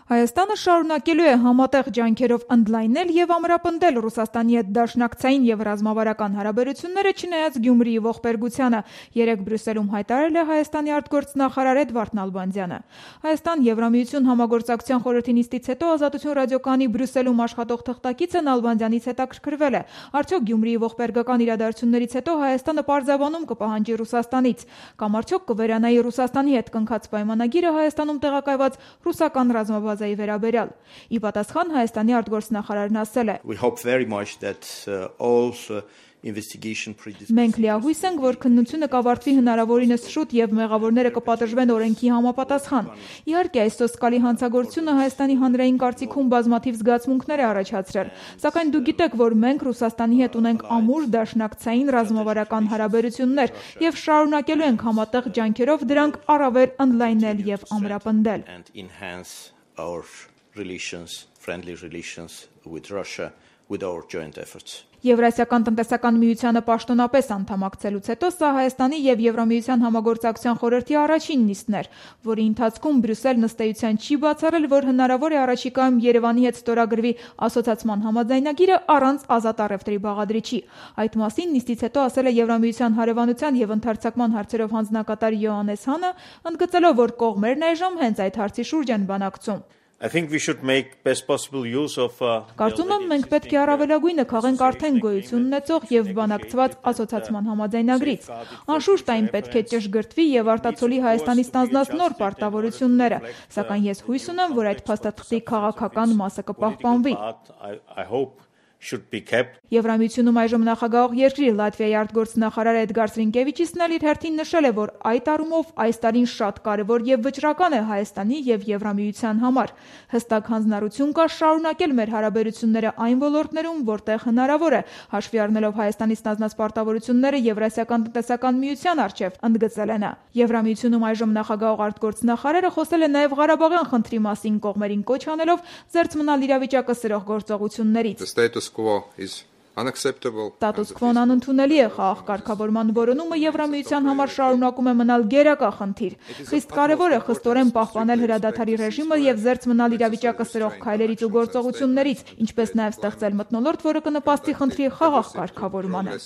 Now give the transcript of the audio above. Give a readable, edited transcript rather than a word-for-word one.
Հայաստանը շարունակելու է համատեղ ջանքերով ընդլայնել եւ ամրապնդել Ռուսաստանի հետ դաշնակցային եւ ռազմավարական հարաբերությունները, չնայած Գյումրիի ողբերգությանը, երեկ Բրյուսելում հայտարարել է Հայաստանի արտգործնախարար Էդվարդ Նալբանդյանը։ Հայաստան-Եվրամիություն համագործակցության խորհրդի նիստից հետո Ազատություն ռադիոկայանի Բրյուսելում աշխատող թղթակիցը Նալբանդյանից հետաքրքրվել է, արդյոք Գյումրիի ողբերգական իրադարձություններից հետո Հայաստանը պարզաբանում կպահանջի Ռուսաստանից, կամ արդյոք կվերանայի Ռուսաստանի հետ կնքած պայմանագիրը Հայաստանում տեղակայված ռուսական ռազմաբազայի վերաբերյալ։ Ի պատասխան Հայաստանի արտգործնախարարն ասել է. Մենք լիահույս ենք, որ քննությունը կավարտվի հնարավորինս շուտ եւ մեղավորները կպատժվեն օրենքի համապատասխան։ Իհարկե, այս սոսկալի հանցագործությունը Հայաստանի հանրային կարծիքում բազմաթիվ զգացմունքներ է առաջացրել, սակայն դուք գիտեք, որ մենք Ռուսաստանի հետ ունենք ամուր դաշնակցային ռազմավարական հարաբերություններ եւ շարունակելու ենք համատեղ ջանքերով դրանք առավել ընդլայնել եւ ամրապնդել։ Եվրասիական տնտեսական միությանը պաշտոնապես անդամակցելուց հետո սա Հայաստանի եւ Եվրամիության համագործակցության խորհրդի առաջին նիստն էր, որի ընթացքում Բրյուսելն ըստ էության չի բացառել, որ հնարավոր է առաջիկայում Երևանի հետ ստորագրվի ասոցիացման համաձայնագիրը առանց ազատ առևտրի բաղադրիչի։ Այդ մասին նիստից հետո ասել է Եվրամիության հարևանության եւ ընդհարցակման հարցերով հանձնակատար Յոհաննես Հանը, ընդգծելով, որ կողմերն այժմ հենց այդ հարցի շուրջ են բանակցում։ Կարծում եմ, մենք պետք է առավելագույնը քաղենք արդեն գոյություն ունեցող եւ բանակցված ասոցիացման համաձայնագրից։ Անշուշտ այն պետք է ճշգրտվի եւ արտացոլի Հայաստանի ստանձնած նոր պարտավորությունները, սակայն ես հույս ունեմ, որ այդ փաստաթղթի քաղաքական մասը կպահպանվի։ Եվրամիությունում այժմ նախագահող երկրի Լատվիայի արտգործնախարար Էդգար Սրինկևիչիսն էլ իր հերթին նշել է, որ այդ առումով այս տարին շատ կարևոր եւ վճռական է Հայաստանի եւ Եվրամիության համար։ Հստակ հանձնառություն կա շարունակել մեր հարաբերությունները այն ոլորտներում, որտեղ հնարավոր է, հաշվի առնելով Հայաստանի ստանձնած պարտավորությունները Եվրասիական տնտեսական միության առջև, ընդգծել է նա։ Եվրամիությունում այժմ նախագահող արտգործնախարարը խոսել է նաեւ Ղարաբաղյան խնդրի մասին, կողմերին կոչ անելով զերծ մնալ իրավիճակը սրող գործողություններից։ Ստատուս քվոն անընդունելի է, խաղաղ կարգավորման որոնումը Եվրամիության համար շարունակում է մնալ գերակա խնդիր։ Խիստ կարևոր է խստորեն պահպանել հրադադարի ռեժիմը եւ զերծ մնալ իրավիճակը սրող քայլերից ու գործողություններից, ինչպես նաեւ ստեղծել մթնոլորտ, որը կնպաստի խնդրի խաղաղ կարգավորմանը։